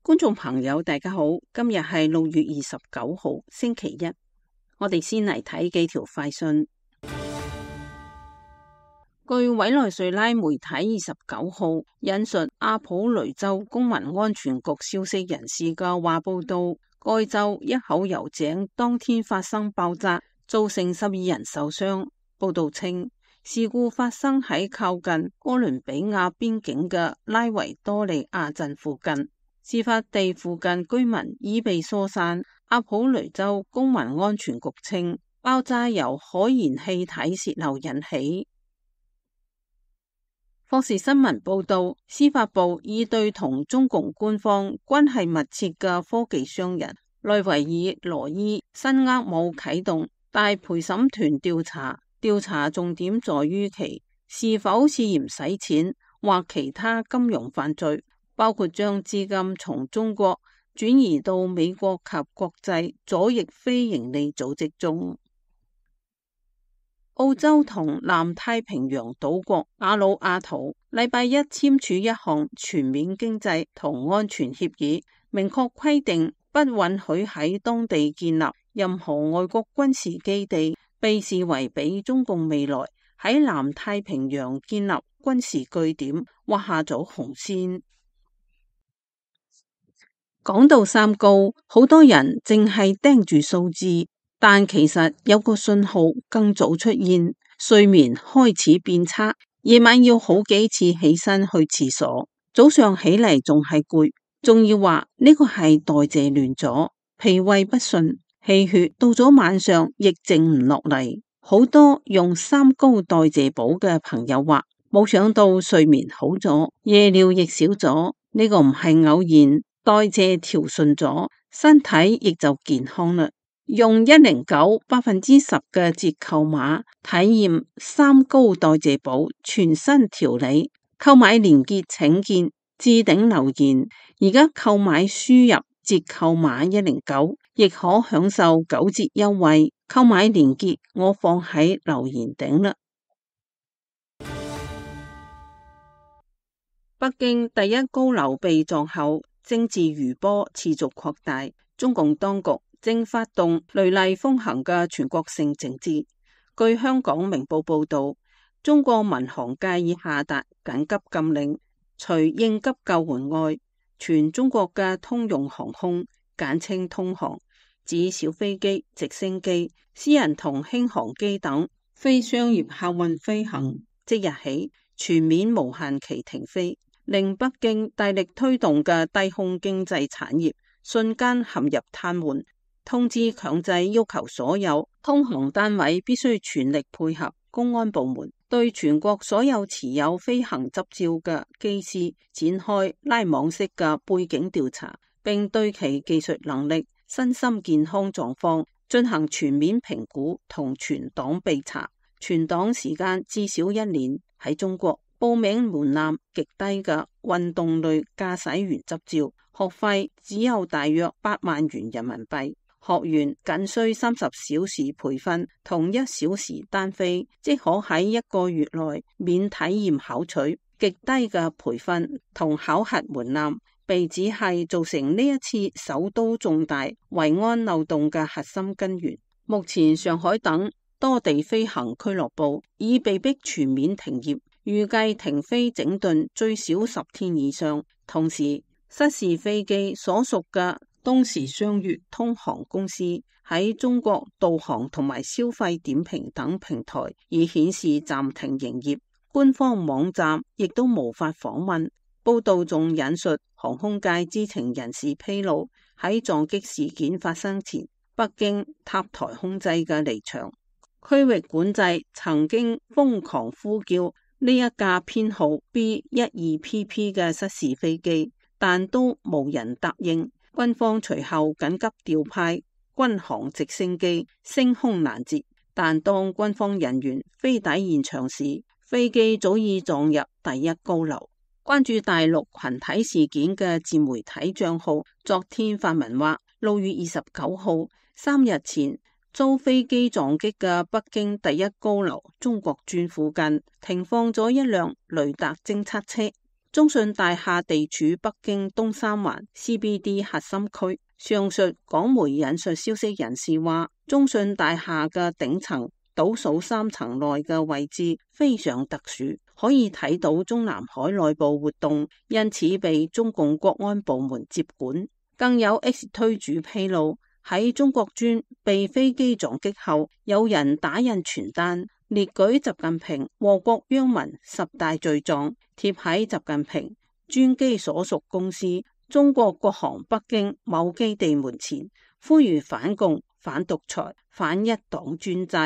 觀眾朋友大家好，今日係6月29號星期一，我哋先嚟睇幾條快訊。據委內瑞拉媒體29號引述阿普雷州公民安全局消息人士嘅話報道，該州一口油井當天發生爆炸，造成12人受傷。報道稱，事故發生喺靠近哥倫比亞邊境嘅拉維多利亞鎮附近。事發地附近居民已被疏散。阿普雷州公民安全局稱，爆炸由可燃氣體泄漏引起。霍士新聞報道，司法部已對同中共官方關係密切嘅科技商人內維爾羅伊新厄姆啟動大陪審團調查，調查重點在於其是否涉嫌洗錢或其他金融犯罪，包括將資金從中國轉移到美國及國際左翼非營利組織中。澳洲同南太平洋島國瓦努阿圖禮拜一簽署一項全面經濟同安全協議，明確規定不允許喺當地建立任何外國軍事基地，被視為俾中共未來喺南太平洋建立軍事據點畫下咗紅線。講到三高，好多人淨係盯住數字，但其實有個信號更早出現，睡眠開始變差，夜晚要好幾次起身去廁所，早上起嚟仲係攰，仲要話呢個係代謝亂咗，脾胃不順，氣血到咗晚上亦靜唔落嚟。好多用三高代謝補嘅朋友話，冇想到睡眠好咗，夜尿亦少咗，呢個唔係偶然，代謝調順咗，身體亦就健康啦。用109%嘅折扣碼體驗三高代謝補全新調理，購買連結請見置頂留言。而家購買輸入折扣碼109，亦可享受9折優惠。購買連結我放喺留言頂啦。北京第一高樓被撞後，政治餘波持續擴大，中共當局正發動雷厲風行嘅全國性整治。據香港明報報道，中國民航界已下達緊急禁令，除應急救援外，全中國嘅通用航空簡稱通航，指小飛機、直升機、私人同輕航機等非商業客運飛行，即日起全面無限期停飛，令北京大力推動嘅低空經濟產業瞬間陷入癱瘓。通知強制要求所有通航單位必須全力配合公安部門，對全國所有持有飛行執照嘅機師展開拉網式嘅背景調查，並對其技術能力、身心健康狀況進行全面評估同全黨備查。全黨時間至少1年。喺中國，報名門檻極低嘅運動類駕駛員執照，學費只有大約8萬元人民幣。學員僅需30小時培訓同1小時單飛，即可喺1個月內免體驗考取。極低嘅培訓同考核門檻，被指係造成呢一次首都重大維安漏洞嘅核心根源。目前上海等多地飛行俱樂部已被迫全面停業，預計停飛整頓最少10天以上。同時，失事飛機所屬嘅東時雙月通航公司喺中國導航同埋消費點評等平台已顯示暫停營業，官方網站亦都無法訪問。報道仲引述航空界知情人士披露，喺撞擊事件發生前，北京塔台控制嘅離場區域管制曾經瘋狂呼叫呢一架編號 B12PP 嘅失事飛機，但都無人答應。軍方隨後緊急調派軍航直升機升空攔截，但當軍方人員飛抵現場時，飛機早已撞入第一高樓。關注大陸群體事件嘅自媒體賬號昨天發文話，6月29號3日前遭飛機撞擊嘅北京第一高樓中國鑽附近停放咗一輛雷達偵測車。中信大廈地處北京東三環 CBD 核心區。上述港媒引述消息人士話，中信大廈嘅頂層倒數3層內嘅位置非常特殊，可以睇到中南海內部活動，因此被中共國安部門接管。更有 X 推主披露，喺中國專被飛機撞擊後，有人打印傳單，列舉習近平禍國殃民10大罪狀，貼喺習近平專機所屬公司中國國航北京某基地門前，呼籲反共、反獨裁、反一黨專制。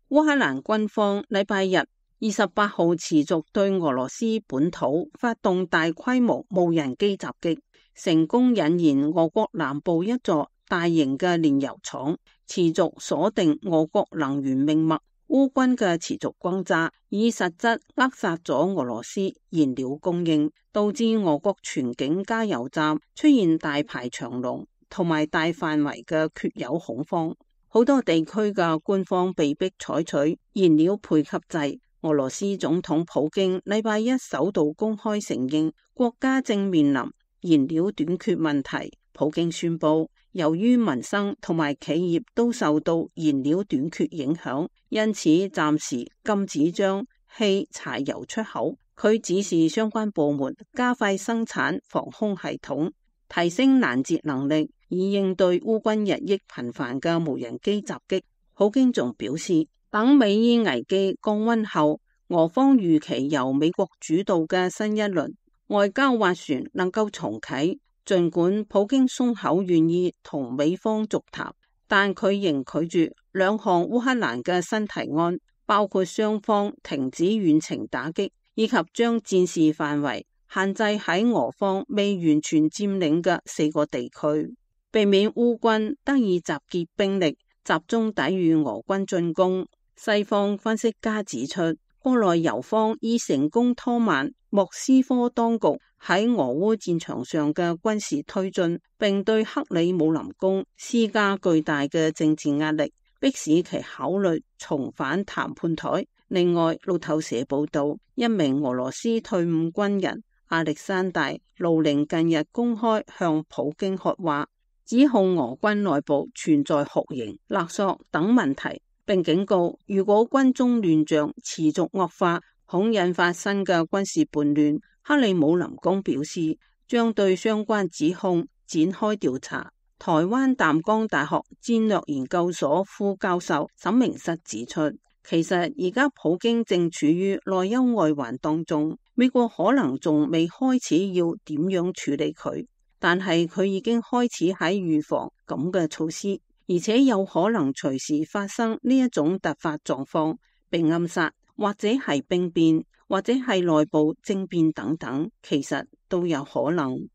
烏克蘭軍方禮拜日28號持續對俄羅斯本土發動大規模無人機襲擊，成功引燃俄國南部一座大型嘅煉油廠，持續鎖定俄國能源命脈。烏軍嘅持續轟炸以實質扼殺咗俄羅斯燃料供應，導致俄國全境加油站出現大排長龍同埋大範圍嘅缺油恐慌。好多地區嘅官方被迫採取燃料配給制。俄羅斯總統普京禮拜一首度公開承認國家正面臨燃料短缺問題。普京宣布，由於民生同埋企業都受到燃料短缺影響，因此暫時禁止將汽柴油出口。佢指示相關部門加快生產防空系統，提升攔截能力，以應對烏軍日益頻繁嘅無人機襲擊。普京仲表示，等美伊危機降溫後，俄方預期由美國主導嘅新一輪外交斡旋能夠重啟。儘管普京鬆口願意同美方續談，但佢仍拒絕2項烏克蘭嘅新提案，包括雙方停止遠程打擊，以及將戰事範圍限制喺俄方未完全佔領嘅4個地區，避免烏軍得以集結兵力，集中抵禦俄軍進攻。西方分析家指出，國內油方已成功拖慢莫斯科當局喺俄烏戰場上嘅軍事推進，並對克里姆林宮施加巨大嘅政治壓力，迫使其考慮重返談判台。另外，路透社報道，一名俄羅斯退伍軍人亞歷山大·盧寧近日公開向普京喝話，指控俄軍內部存在酷刑、勒索等問題，並警告如果軍中亂象持續惡化，恐引發新嘅軍事叛亂。克里姆林宮表示，將對相關指控展開調查。台灣淡江大學戰略研究所副教授沈明室指出，其實而家普京正處於內憂外患當中，美國可能仲未開始要點樣處理佢，但係佢已經開始喺預防咁嘅措施，而且有可能隨時發生呢一種突發狀況，被暗殺，或者係兵變，或者係內部政變等等，其實都有可能。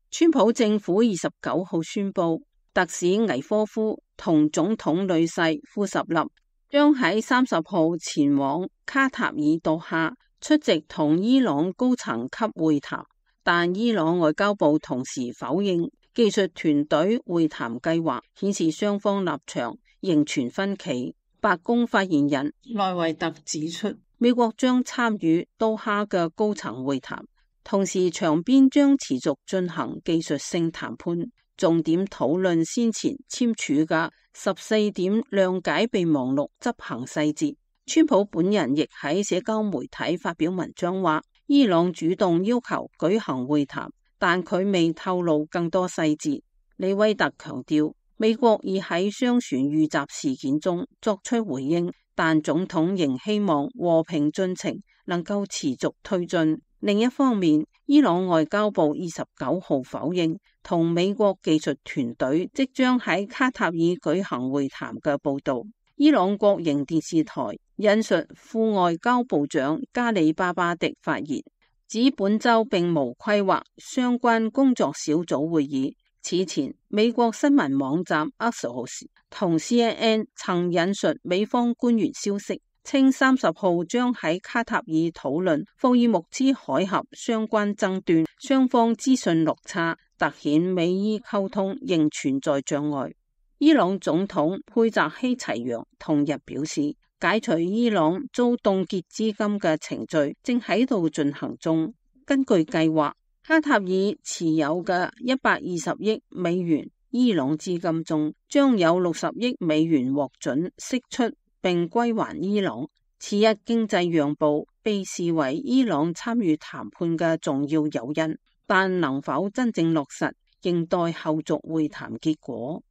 川普政府29號宣布，特使倪科夫同總統女婿庫什納將喺30號前往卡塔爾多哈出席同伊朗高層級會談，但伊朗外交部同時否認技術團隊會談計劃，顯示雙方立場仍存分歧。白宮發言人萊維特指出，美國將參與多哈嘅高層會談，同時場邊將持續進行技術性談判，重點討論先前簽署嘅14點諒解備忘錄執行細節。川普本人亦喺社交媒體發表文章話，伊朗主動要求舉行會談，但佢未透露更多細節。李威特強調，美國已喺商船遇襲事件中作出回應，但總統仍希望和平進程能夠持續推進。另一方面，伊朗外交部29號否認同美國技術團隊即將喺卡塔爾舉行會談嘅報道。伊朗國營電視台引述副外交部長加里巴巴迪發言，指本周並無規劃相關工作小組會議。此前，美國新聞網站 Axios 同 CNN 曾引述美方官員消息，稱30號將喺卡塔爾討論霍爾木茲海峽相關爭端，雙方資訊落差，凸顯美伊溝通仍存在障礙。伊朗總統佩澤希齊揚同日表示，解除伊朗遭凍結資金嘅程序正喺度進行中。根據計劃，卡塔爾持有嘅120億美元伊朗資金中，將有60億美元獲准釋出並歸還伊朗。此一經濟讓步被視為伊朗參與談判嘅重要誘因，但能否真正落實，仍待後續會談結果。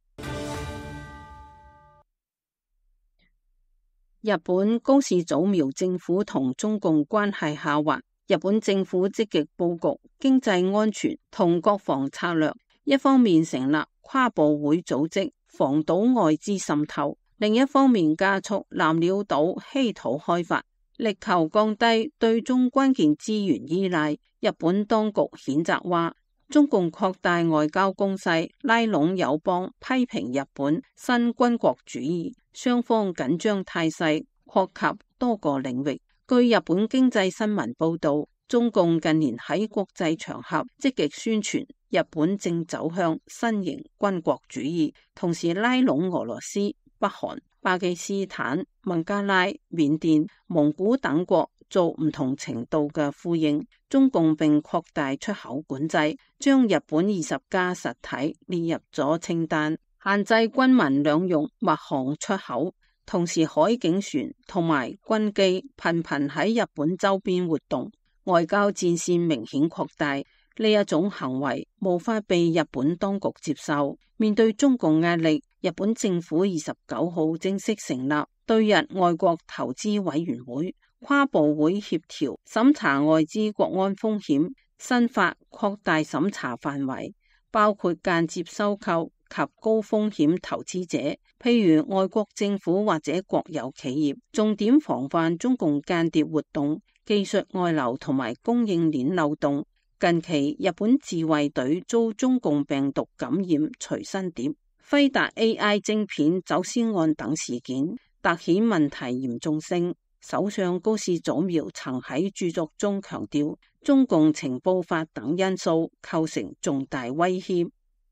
日本高市早苗政府同中共關係下滑，日本政府積極佈局經濟安全同國防策略，一方面成立跨部會組織防堵外資滲透，另一方面加速南鳥島稀土開發，力求降低對中關鍵資源依賴。日本當局譴責話，中共擴大外交攻勢，拉攏友邦批評日本新軍國主義，雙方緊張態勢擴及多個領域。據日本經濟新聞報道，中共近年喺國際場合積極宣傳日本正走向新型軍國主義，同時拉攏俄羅斯、北韓、巴基斯坦、孟加拉、緬甸、蒙古等國做唔同程度嘅呼應。中共並擴大出口管制，將日本20家實體列入咗清單，限制軍民兩用物項出口。同時海警船同埋軍機頻頻喺日本周邊活動，外交戰線明顯擴大。呢一種行為無法被日本當局接受。面對中共壓力，日本政府29號正式成立對日外國投資委員會，跨部會協調審查外資國安風險，新法擴大審查範圍，包括間接收購及高風險投資者，譬如外國政府或者國有企業，重點防範中共間諜活動、技術外流同埋供應鏈漏洞。近期日本自衛隊遭中共病毒感染隨身碟、輝達 AI 晶片走私案等事件，凸顯問題嚴重性。首相高市早苗曾喺著作中強調，中共情報法等因素構成重大威脅。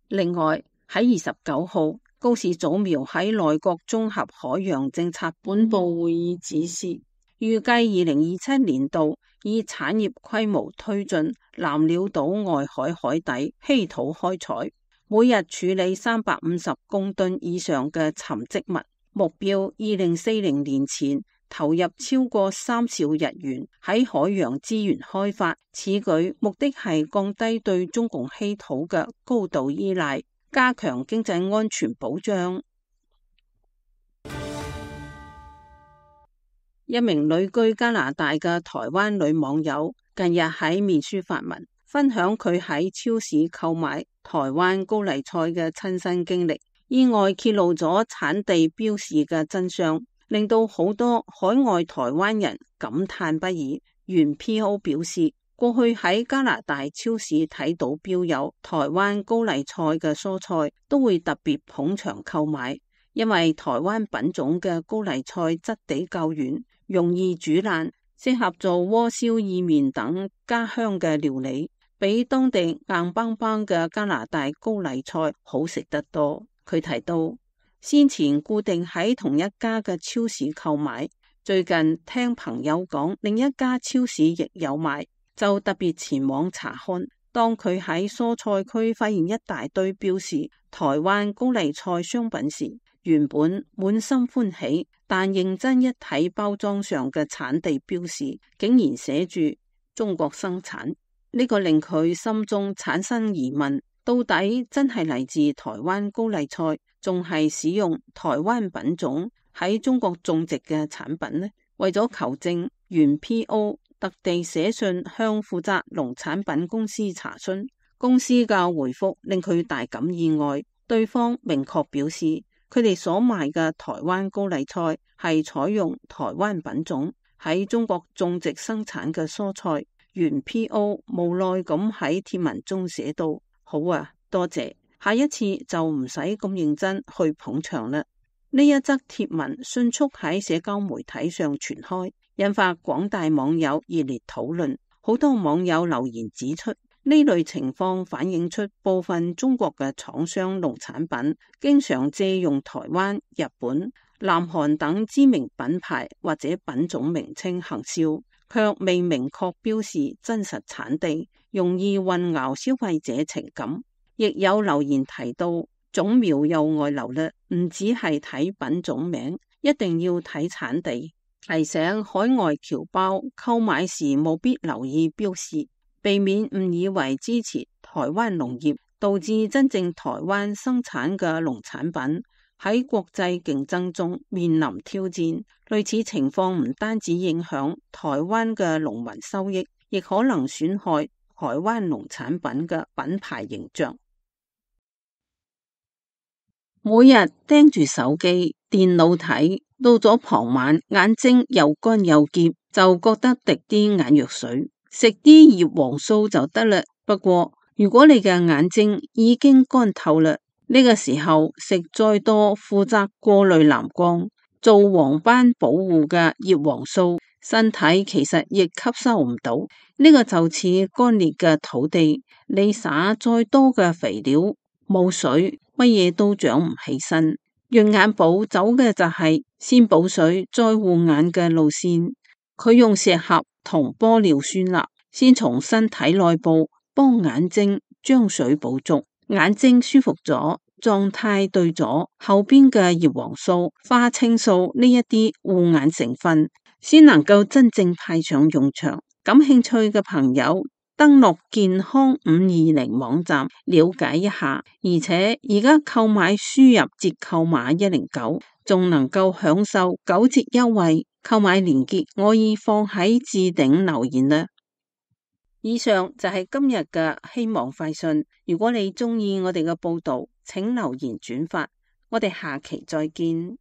另外喺29號，高市早苗喺內閣綜合海洋政策本部會議指示，預計2027年度以產業規模推進南鳥島外海海底稀土開採，每日處理350公噸以上嘅沉積物，目標2040年前投入超過3兆日元喺海洋資源開發。此舉目的係降低對中共稀土嘅高度依賴，加強經濟安全保障。一名旅居加拿大嘅台灣女網友近日喺面書發文，分享佢喺超市購買台灣高麗菜嘅親身經歷，意外揭露咗產地標示嘅真相，令到好多海外台灣人感嘆不已。原 PO 表示，過去喺加拿大超市睇到標有台灣高麗菜嘅蔬菜，都會特別捧場購買，因為台灣品種嘅高麗菜質地較軟，容易煮爛，適合做鍋燒意麵等家鄉嘅料理，比當地硬邦邦嘅加拿大高麗菜好食得多。佢提到，先前固定喺同一家嘅超市購買，最近聽朋友講另一家超市亦有賣，就特別前往查看。當佢喺蔬菜區發現一大堆標示台灣高麗菜商品時，原本滿心歡喜，但認真一睇包裝上嘅產地標示，竟然寫住中國生產，呢個令佢心中產生疑問，到底真係嚟自台灣高麗菜，仲係使用台灣品種喺中國種植嘅產品呢？為咗求證，原 PO 特地寫信向負責農產品公司查詢，公司嘅回覆令佢大感意外，對方明確表示，佢哋所賣嘅台灣高麗菜係採用台灣品種喺中國種植生產嘅蔬菜。原 PO 無奈咁喺貼文中寫道：好啊，多謝，下一次就唔使咁認真去捧場啦。呢一則貼文迅速喺社交媒體上傳開，引發廣大網友熱烈討論。好多網友留言指出，呢呢類情況反映出部分中國嘅廠商農產品經常借用台灣、日本、南韓等知名品牌或者品種名稱行銷，卻未明確標示真實產地，容易混淆消費者情感。亦有留言提到，種苗又外流啦，唔只係睇品種名，一定要睇產地。提醒海外僑胞購買時務必留意標示，避免誤以為支持台灣農業，導致真正台灣生產嘅農產品喺國際競爭中面臨挑戰。類似情況唔單止影響台灣嘅農民收益，亦可能損害台灣農產品嘅品牌形象。每日盯住手機、電腦睇，到咗傍晚眼睛又乾又澀，就覺得滴啲眼藥水，食啲葉黃素就得啦。不過如果你嘅眼睛已經乾透啦，呢個時候食再多負責過濾藍光、做黃斑保護嘅葉黃素，身體其實亦吸收唔到。呢個就似乾裂嘅土地，你撒再多嘅肥料，冇水，乜嘢都長唔起身。潤眼寶走嘅就係先補水再護眼嘅路線，佢用石斛同玻尿酸鈉先從身體內部幫眼睛將水補足，眼睛舒服咗，狀態對咗，後邊嘅葉黃素、花青素呢一啲護眼成分先能夠真正派上用場。感興趣嘅朋友登錄健康520網站了解一下，而且而家購買輸入折扣碼109，仲能夠享受9折優惠。購買鏈接我已放喺置頂留言啦。以上就係今日嘅希望快訊。如果你中意我哋嘅報道，請留言轉發。我哋下期再見。